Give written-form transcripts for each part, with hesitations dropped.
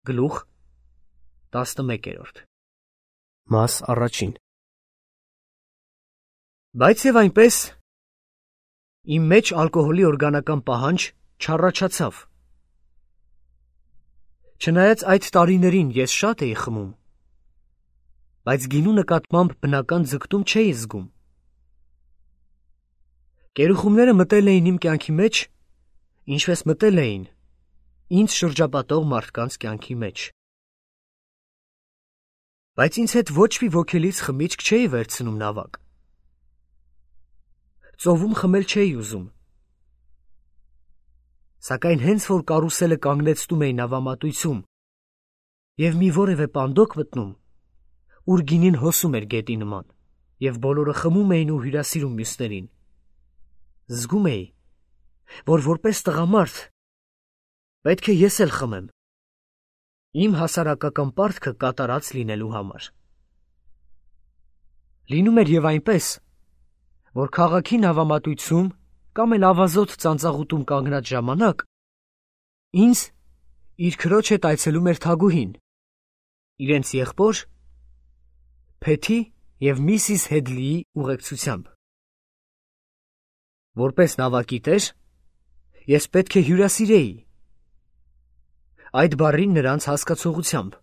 Գլուխ 11 Մաս առաջին Բայց և այնպես իմ մեջ ալկոհոլի օրգանական պահանջ չառաջացավ։ Չնայած այդ տարիներին ես շատ էի խմում, բայց գինու նկատմամբ բնական ձգտում չէի զգում։ Կերուխումները մտել էին իմ կյանքի մեջ, ինչպես մտել էին ինձ շրջապատող մարդկանց կյանքի մեջ։ Բայց ինձ հետ ոչ մի ոգելից խմիչք չէի վերցնում նավակ։ Ծովում խմել չէի ուզում։ Սակայն հենց որ կարուսելը կանգնեցնում էի նավամատույցում և մի որևէ պանդոկ մտնում, ուր գինին հոսում էր գետի նման, և բոլորը խմում էին ու հյուրասիրում մյուսներին, զգում էի, որ որպես տղամարդ պետք է ես էլ խմեմ, իմ հասարակական պարտքը կատարած լինելու համար։ Լինում էր և այնպես, որ քաղաքի նավամատույցում կամ էլ ավազոտ ծանծաղուտում կանգնած ժամանակ ինձ իր քրոջ հետ այցելում էր Թագուհին, իրենց եղբոր Փեթի և Միսիս Հեդլիի ուղեկցությամբ։ Որպես նավակի տեր, ես պետք է հյուրասիրեի, այդ բառին նրանց հասկացողությամբ։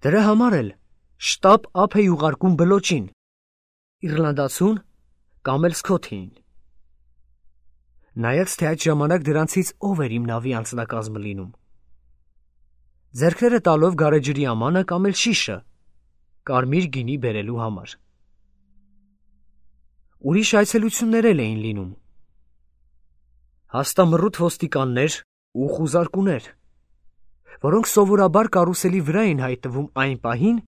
Դրա համար էլ շտապ ափ էի ուղարկում բլոճին, իռլանդացուն կամ էլ Սքոթիին։ Նայած թե այդ ժամանակ դրանցից ով էր իմ նավի անձնակազմը լինում, ձեռքները տալով գարեջրի ամանը կամ էլ շիշը, կարմիր գինի բերելու համար։ Ուրիշ այցելություններ էլ էին լինում, հաստամռութ ոստիկաններ ու խուզարկուներ, որոնք սովորաբար կարուսելի վրա էին հայտնվում այն պահին,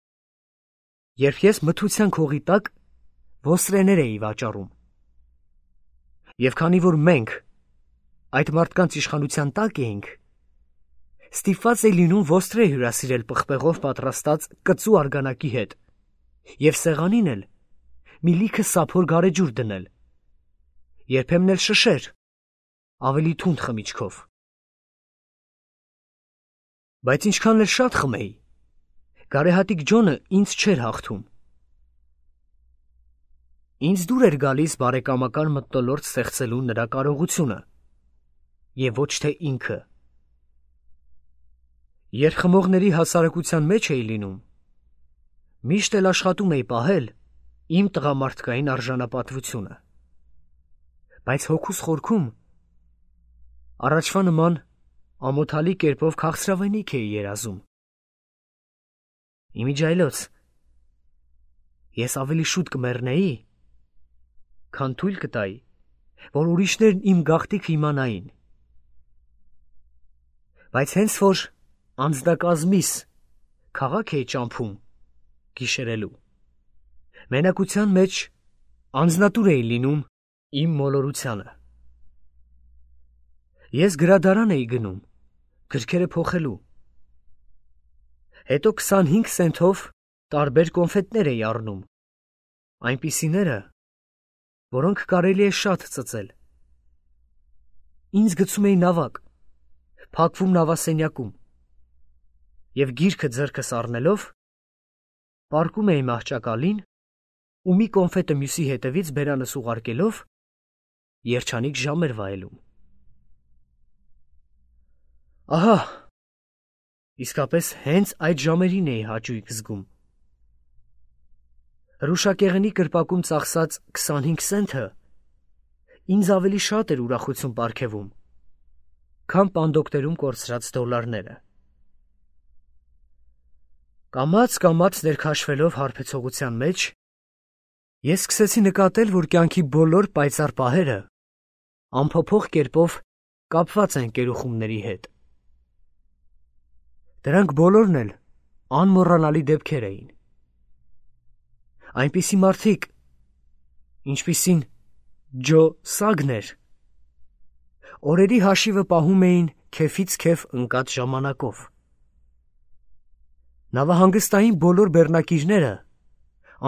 երբ ես մթության քողի տակ ոստրեներ էի վաճառում։ Եվ քանի որ մենք այդ մարդկանց իշխանության տակ էինք, ստիպված էի լինում ոստրե հյուրասիրել պղպեղով պատրաստած կծու արգանակի հետ և սեղանին էլ մի լիքը սափոր գարեջուր դնել, երբեմն էլ շշեր, ավելի թունդ խմիչքով։ Բայց ինչքան էլ շատ խմեի, գարեհատիկ Ջոնը ինձ չէր հաղթում։ Ինձ դուր էր գալիս բարեկամական մթնոլորտ ստեղծելու նրա կարողությունը, և ոչ թե ինքը։ Երբ խմողների հասարակության մեջ էի լինում, միշտ էլ աշխատում էի պահել իմ տղամարդկային արժանապատվությունը, բայց հոգուս խորքում առաջվա նման ամոթալի կերպով քաղցրավենիք էի երազում։ Իմիջիայլոց ես ավելի շուտ կմեռնեի, քան թույլ կտայի, որ ուրիշներն իմ գաղտնիքը իմանային։ Բայց հենց որ անձնակազմիս քաղաք էի ճամփում գիշերելու, մենակության մեջ անձնատուր էի լինում իմ մոլորությանը։ Ես գրադարան էի գնում, գրքերը փոխելու, հետո 25 սենթով տարբեր կոնֆետներ էի առնում, այնպիսիները, որոնք կարելի է շատ ծծել։ Ինձ գցում էի նավակ, փակվում նավասենյակում և գիրքը ձեռքս առնելով պառկում էի մահճակալին ու մի կոնֆետը մյուսի հետևից բերանս ուղարկելով երջանիկ ժամ էր վայելում։ Ահա, իսկապես հենց այդ ժամերին էի հաճույք զգում։ Հրուշակեղենի կրպակում ծախսած 25 սենթը ինձ ավելի շատ էր ուրախություն պարգևում, քան պանդոկներում կորցրած դոլարները։ Կամաց ներքաշվելով հարբեցողության մեջ, ես սկսեցի նկատել, որ կյանքի բոլոր պայծառ պահերը անփոփոխ կերպով կապված են կերուխումների հետ։ Դրանք բոլորն էլ անմոռանալի դեպքեր էին։ Այնպիսի մարդիկ, ինչպիսին Ջո Սագներ, օրերի հաշիվը պահում էին քեֆից քեֆ ընկած ժամանակով։ Նավահանգստային բոլոր բեռնակիրները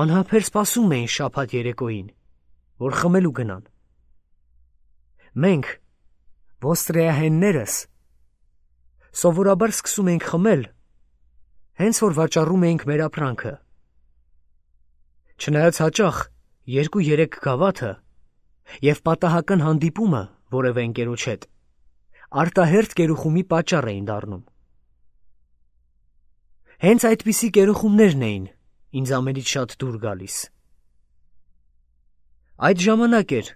անհամբեր սպասում էին շաբաթ երեկոյին, որ խմելու գնան։ Մենք, ոստրեահեններս, Սովորաբար սկսում էինք խմել, հենց որ վաճառում էինք մեր ապրանքը։ Չնայած հաճախ 2-3 գավաթը և պատահական հանդիպումը որևէ ընկերոջ հետ արտահերթ կերուխումի պատճառ էին դառնում։ Հենց այդպիսի կերուխումներն էին ինձ ամենից շատ դուր գալիս։ Այդ ժամանակ էր,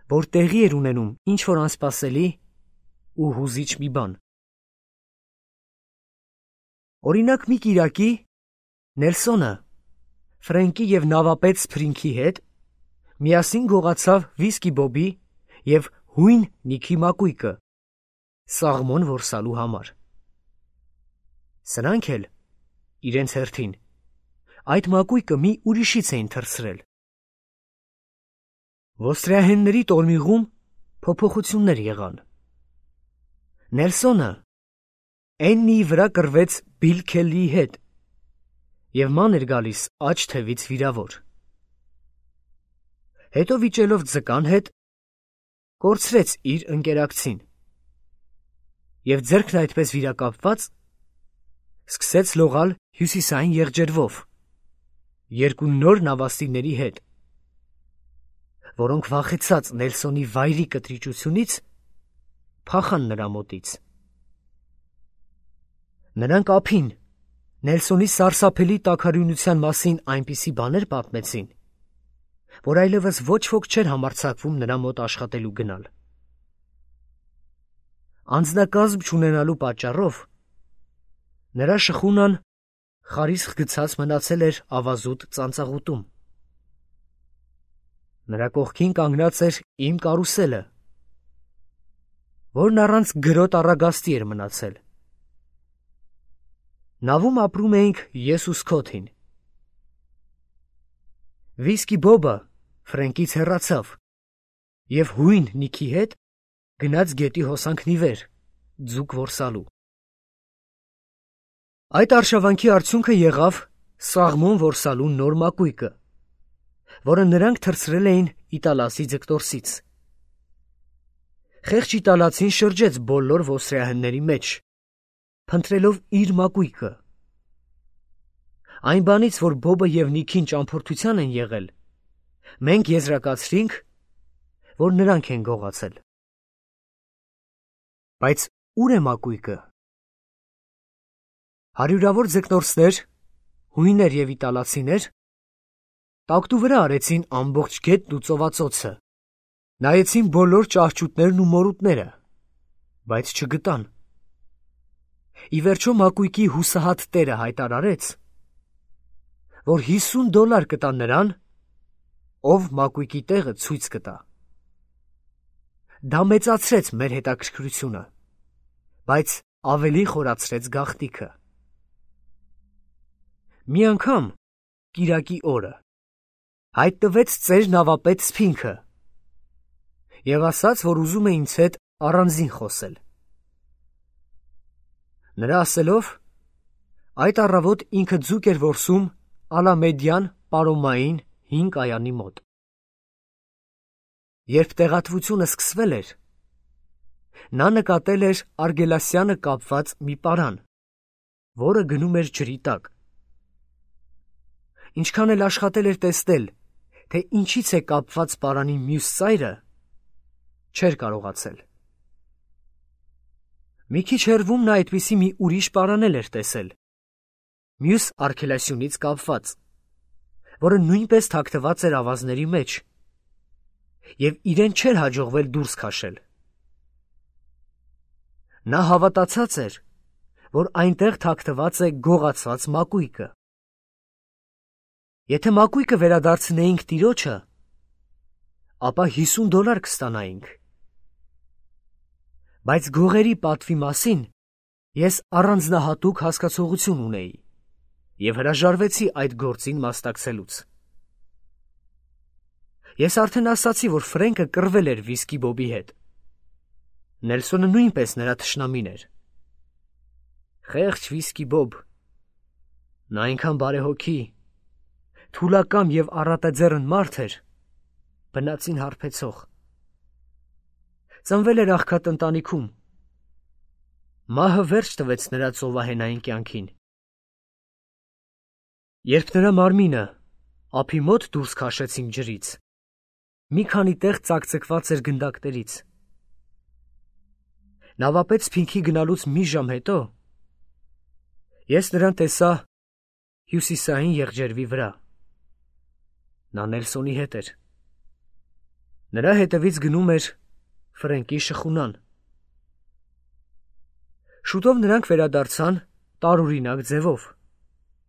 որ տեղի էր ունենում ինչ-որ անսպասելի ու հուզիչ մի բան։ Օրինակ մի կիրակի Նելսոնը Ֆրենկի և նավապետ Սփրինքի հետ միասին գողացավ Վիսկի Բոբի և հույն Նիքի մակույկը սաղմոն որսալու համար։ Սրանք էլ իրենց հերթին այդ մակույկը մի ուրիշից էին թռցրել։ Ոստրիահենների տորմիղում փոփոխություններ եղան։ Նելսոնը Էննիի վրա կռվեց Բիլ Քելլիի հետ և ման էր գալիս աջ թևից վիրավոր։ Հետո վիճելով ձկան հետ կորցրեց իր ընկերակցին և ձեռքն այդպես վիրակապված սկսեց լողալ հյուսիսային եղջերվով երկու նոր նավաստիների հետ, որոնք վախեցած Նելսոնի վայրի կտրիճությունից փախան նրա մոտից։ Նրանք ափին Նելսոնի սարսափելի տաքարյունության մասին այնպիսի բաներ պատմեցին, որ այլևս ոչ ոք չէր համարձակվում նրա մոտ աշխատելու գնալ։ Անձնակազմ չունենալու պատճառով նրա շխունան խարիսխ գցած մնացել էր ավազուտ ծանծաղուտում։ Նրա կողքին կանգնած էր իմ կարուսելը, որն առանց գրոտ առագաստի էր մնացել։ Նավում ապրում էինք ես ու Սքոթին։ Վիսկի Բոբը Ֆրենկից հեռացավ և հույն Նիքի հետ գնաց գետի հոսանքն ի վեր, ձուկ որսալու։ Այդ արշավանքի արդյունքը եղավ սաղմոն որսալու նոր մակույկը, որը նրանք թռցրել էին Իտալացի ձկտորսից։ Խեղճ իտալացին շրջեց բոլոր ոստրիահենների մեջ, փնտրելով իր մակույկը։ Այն բանից, որ Բոբը և Նիքին ճամփորդության են եղել, մենք եզրակացրինք, որ նրանք են գողացել։ Բայց ուր է մակույկը։ Հարյուրավոր ձկնորսներ, հույներ և իտալացիներ տակտու վրա արեցին ամբողջ գետն ու ծովածոցը, նայեցին բոլոր ճահճուտներն ու մորուտները, բայց չգտան։ Ի վերջո մակույկի հուսահատ տերը հայտարարեց, որ $50 կտա նրան, ով մակույկի տեղը ցույց կտա։ Դա մեծացրեց մեր հետաքրքրությունը, բայց ավելի խորացրեց գաղտնիքը։ Մի անգամ կիրակի օրը հայտնվեց ծեր նավապետ Սփինքը և ասաց, որ ուզում է ինձ հետ առանձին խոսել։ Նրա ասելով, այդ առավոտ ինքը ձուկ էր որսում Ալամեդյան պարոմային հին կայանի մոտ։ Երբ տեղատվությունը սկսվել էր, նա նկատել էր Արգելասյանը կապված մի պարան, որը գնում էր ջրի տակ։ Ինչքան էլ աշխատել էր տեսնել, թե ինչից է կապված պարանի մյուս ծայրը, չէր կարողացել։ Մի քիչ հեռվում նա այդպիսի մի ուրիշ պարան էլ էր տեսել, մյուս արգելասյունից կապված, որը նույնպես թաքնված էր ավազների մեջ, և իրեն չէր հաջողվել դուրս քաշել։ Նա հավատացած էր, որ այնտեղ թաքնված է գողացված մակույկը։ Եթե մակույկը վերադարձնեինք տիրոջը, ապա $50 կստանայինք։ Բայց գողերի պատվի մասին ես առանձնահատուկ հասկացողություն ունեի և հրաժարվեցի այդ գործին մասնակցելուց։ Ես արդեն ասացի, որ Ֆրենկը կռվել էր Վիսկի Բոբի հետ։ Նելսոնը նույնպես նրա թշնամին էր։ Խեղճ Վիսկի Բոբ, նա այնքան բարեհոգի, թուլակամ և առատաձեռն մարդ էր, բնածին հարբեցող։ Ծնվել էր աղքատ ընտանիքում։ Մահը վերջ տվեց նրա ծովահենային կյանքին։ Երբ նրա մարմինը ափի մոտ դուրս քաշեցին ջրից, մի քանի տեղ ծակծկված էր գնդակներից։ Նավապետ Սփինքի գնալուց մի ժամ հետո ես նրան տեսա հյուսիսային եղջերվի վրա։ Նա Նելսոնի հետ էր։ Նրա հետևից գնում էր Ֆրենկի շխունան։ Շուտով նրանք վերադարձան տարօրինակ ձևով,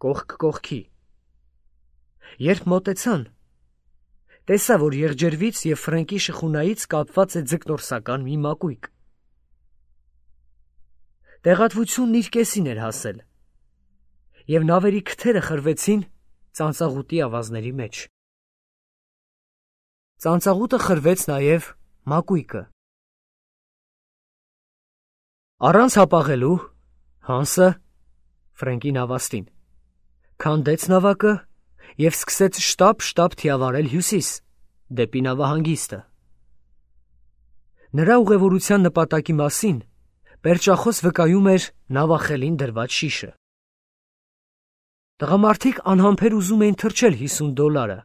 կողք կողքի։ Երբ մոտեցան, տեսա, որ եղջերվից և Ֆրենկի շխունայից կապված է ձկնորսական մի մակույկ։ Տեղատվությունն իր կեսին էր հասել, և նավերի քթերը խրվեցին ծանծաղուտի ավազների մեջ։ Ծանծաղուտը խրվեց նաև մակույկը։ Առանց հապաղելու Հանսը Ֆրենկի նավաստին քանդեց նավակը և սկսեց շտապ թիավարել հյուսիս, դեպի նավահանգիստը։ Նրա ուղևորության նպատակի մասին պերճախոս վկայում էր նավախելին դրված շիշը։ Տղամարդիկ անհամբեր ուզում էին թրջել $50,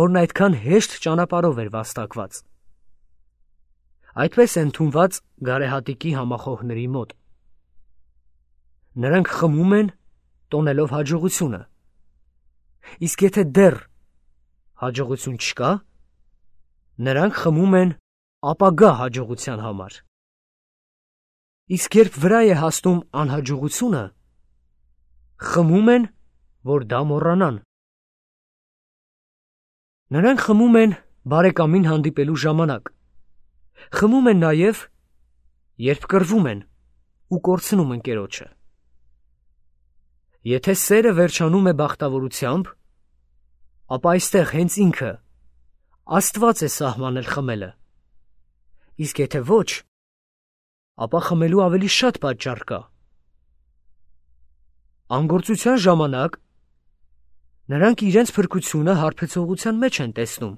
որն այդքան հեշտ ճանապարհով էր վաստակված։ Այդպես է ընդունված գարեհատիկի համախոհների մոտ։ Նրանք խմում են, տոնելով հաջողությունը, իսկ եթե դեռ հաջողություն չկա, նրանք խմում են ապագա հաջողության համար։ Իսկ երբ վրա է հասնում անհաջողությունը, խմում են, որ դա մոռանան։ Նրանք խմում են բարեկամին հանդիպելու ժամանակ, խմում են նաև, երբ կռվում են ու կորցնում ընկերոջը։ Եթե սերը վերջանում է բախտավորությամբ, ապա այստեղ հենց ինքը Աստված է սահմանել խմելը, իսկ եթե ոչ, ապա խմելու ավելի շատ պատճառ կա։ Անգործության ժամանակ նրանք իրենց փրկությունը հարբեցողության մեջ են տեսնում։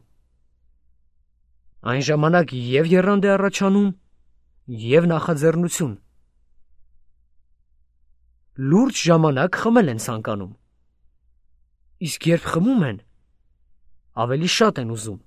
Այն ժամանակ և եռանդ է առաջանում, և նախաձեռնություն։ Լուրջ ժամանակ խմել են ցանկանում, իսկ երբ խմում են, ավելի շատ են ուզում։